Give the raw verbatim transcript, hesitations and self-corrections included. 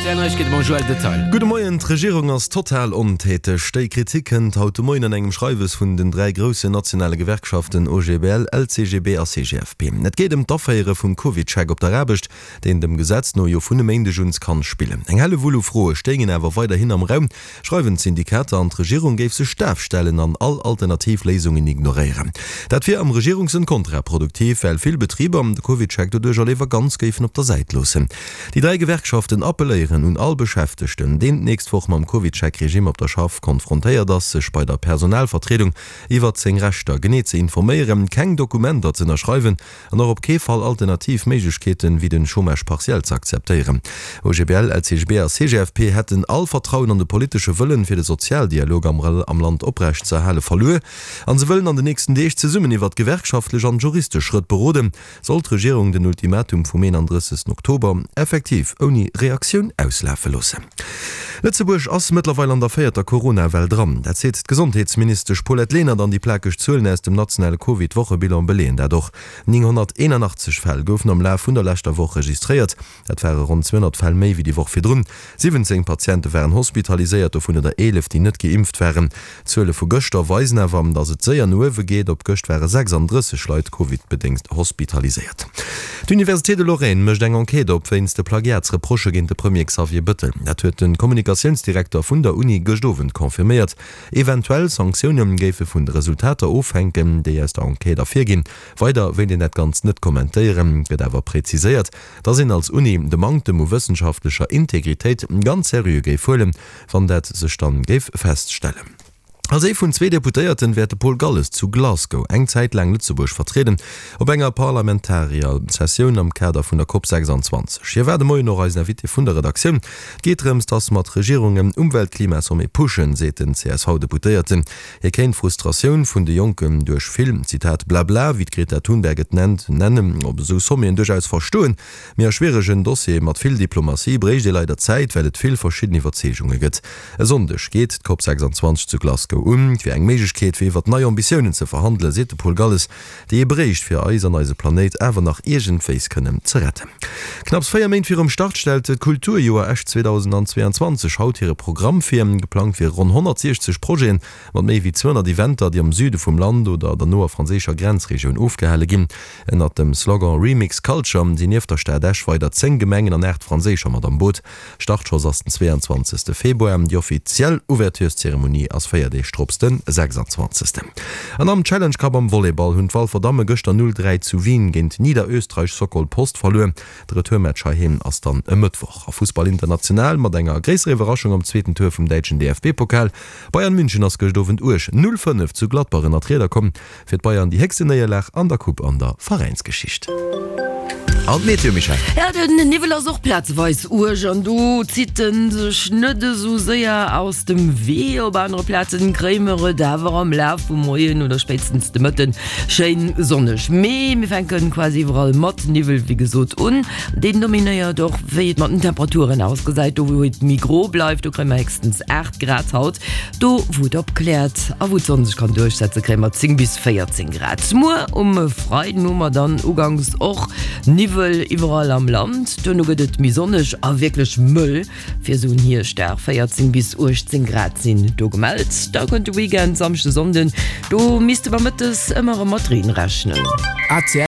R T L Neiegkeete mam Joël Detail. Gudde Moien, D'Regierung ass total ontäteg. Déi Kritik kënnt haut de Moien an engem Schreiwes vun den dräi groussen nationale Gewerkschaften O G B L, L C G B a C G F P. Et geet ëm d'Aféiere vum CovidCheck op der Aarbecht, deen dem Gesetz no jo vun e Méindeg un kann spillen. Eng Hellewull u Froe stéingen awer weiderhin am Raum, schreiwen d'Syndikater, an d'Regierung géif sech daf stellen an all alternativ Léisungen ignoréieren. Dat wier am Regierungssënn kontraproduktiv, well vill Betriber de CovidCheck doduerch léiwer ganz géifen op der Säit loossen. Déi dräi Gewerkschaften appelléieren un all Beschäftegten, deen d'nächst Woch mam CovidCheck-Regime op der Schaff konfrontéiert ass, sech bei der Personalvertriedung iwwert seng Rechter genee ze informéieren, keng Dokumenter ze ënnerschreiwen an och op kee Fall alternativ Méiglechkeeten wéi den Chômage partiel ze akzeptéieren. O G B L, L C G B a C G F P hätten all Vertrauen an de politesche Wëllen, fir de Sozialdialog am am Land oprecht ze erhale verluer an se wëllen an den nächsten Deeg zesummen iwwert gewerkschaftlech an juristesch Schrëtt beroden, sollt d'Regierung den Ultimatum vum eenandrëssegsten Oktober effektiv ouni Reaktioun auslafe loossen. Lëtzebuerg ass mëttlerweil an der véierter Corona-Well dran. Dat seet d'Gesondheetsministesch Paulette Lenert an déi plakeg Zuelen aus dem nationale Covid-Wochebilan beleeën dat och. nénghonnerteenanachtzeg Fäll goufen am Laf vun der leschter Woch registréiert. Dat ware ronn zweehonnert Fäll méi wéi déi Woch virdrun. Siwwenzéng Patiente waren hospitaliséiert, dovunner der eelef, déi net geimpft waren. D'Zuele vu gëschter weisen awer, datt et séier no uewe geet. Op gëscht ware sechsandrësseg Leit Covid-bedéngt hospitaliséiert. D'Université de Lorraine mécht eng Enquête op wéinst de Plagiatsreprochë géint de Premier Xavier Bettel. Dat huet de Kommunikatiounsdirekter vun der Uni gëscht Owend confirméiert. Eventuell Sanktioune géife vun de Resultater ofhänken, déi aus der Enquête ervirginn. Weider wéilt een dat Ganzt net kommentéieren, gëtt awer präziséiert, datt een als Uni de Manktem u wëssenschaftlecher Integritéit ganz seriö géif huelen, wann dat sech dann géif feststellen. Als ee vun zwee Deputéierten wäert de Paul Galles zu Glasgow eng Zäit laang Lëtzebuerg vertrieden op enger Parlamentarier-Sessioun am Kader vun der COP sechsanzwanzeg. Hie war de Moien och eisen Invité vun der Redaktioun. Et geet drëms, datt mer d'Regierungen Umwelt-Klima-Sommet pushen, seet den C S V-Deputéierten. Hie kéint d'Frustratioun vun de Jonken duerch vill, Zitat, Blabla, wéi d'Greta Thunberg et nennt, nennen, op esou Sommeten duerchaus verstoen. Mee a schwieregen Dossiere mat vill Diplomatie bréicht ee leider Zäit, well et vill verschidden Iwwerzeegunge gëtt. E Sonndeg geet d'COP sechsanzwanzeg zu Glasgow un. Et wier eng Méiglechkeet, fir iwwert nei Ambitiounen ze verhandelen, seet de Paul Galles, déi ee bréicht, fir eis an eise Planéit awer nach iergendwéis kënnen ze retten. Knapps véier Méint virum Start stellt d'Kulturjoer Esch zweedausendzweeanzwanzeg haut hire Programm vir. Geplangt wiere ronn honnertsiechzeg Projeten mat méi wéi zweehonnert Eventer, déi am Süde vum Land oder der noer franséischer Grenzregioun ofgehale ginn. Ënnert dem Slogan Remix Culture sinn nieft der Stad Esch weider zéng Gemengen an aacht franséischer mat am Boot. Startschoss ass den zweeanzwanzegste Februar, déi offiziell Ouvertureszeremonie ass véier Deeg drop, den sechsanzwanzegsten. An am Challenge Cup am Volleyball hunn d'Walfer Damme gëschter null dräi zu Wien géint Niederösterreich Sokol Post verluer. De Retourmatch heiheem ass dann e Mëttwoch. A Fussball international mat enger gréisserer Iwwerraschung am zweeten Tour vum däitschen D F B-Pokal. Bayern München ass gëscht Owend uerg null fënnef zu Gladbach ënner d'Rieder komm. Fir d'Bayern déi héchsten Néierlag an der Coupe an der Veräinsgeschicht. An d'Meteo, Michèle? Ja, den Niwwel ass och plazeweis uerg an do zitt en sech net esou séier aus dem Wee. Op anere Plazen kréie mer et awer am Laf vum Moien oder spéitstens de Mëtten schéin sonneg. Mee mir fänken quasi iwwerall mat Niwwel wéi gesot un. Deen dominéiert och wéi et mat den Temperaturen ausgesäit. Do wou et méi gro bleift, do kréie mer héchstens aacht Grad haut. Do wou et opkläert a wou d'Sonn sech kann duerchsetze kréie mer zéng bis véierzéng Grad. Muer um Freiden hu mer dann uganks och Niwwel iwwerall am Land. Duerno gëtt et méi sonneg a wierklech mëll fir esou en Hierschtdag, véierzéng bis uechtzéng Grad sinn do gemellt. Da kënnt de Weekend, Samschde, Sonnden, do misste mer mëttes ëmmer erëm mat Reen rechnen. A C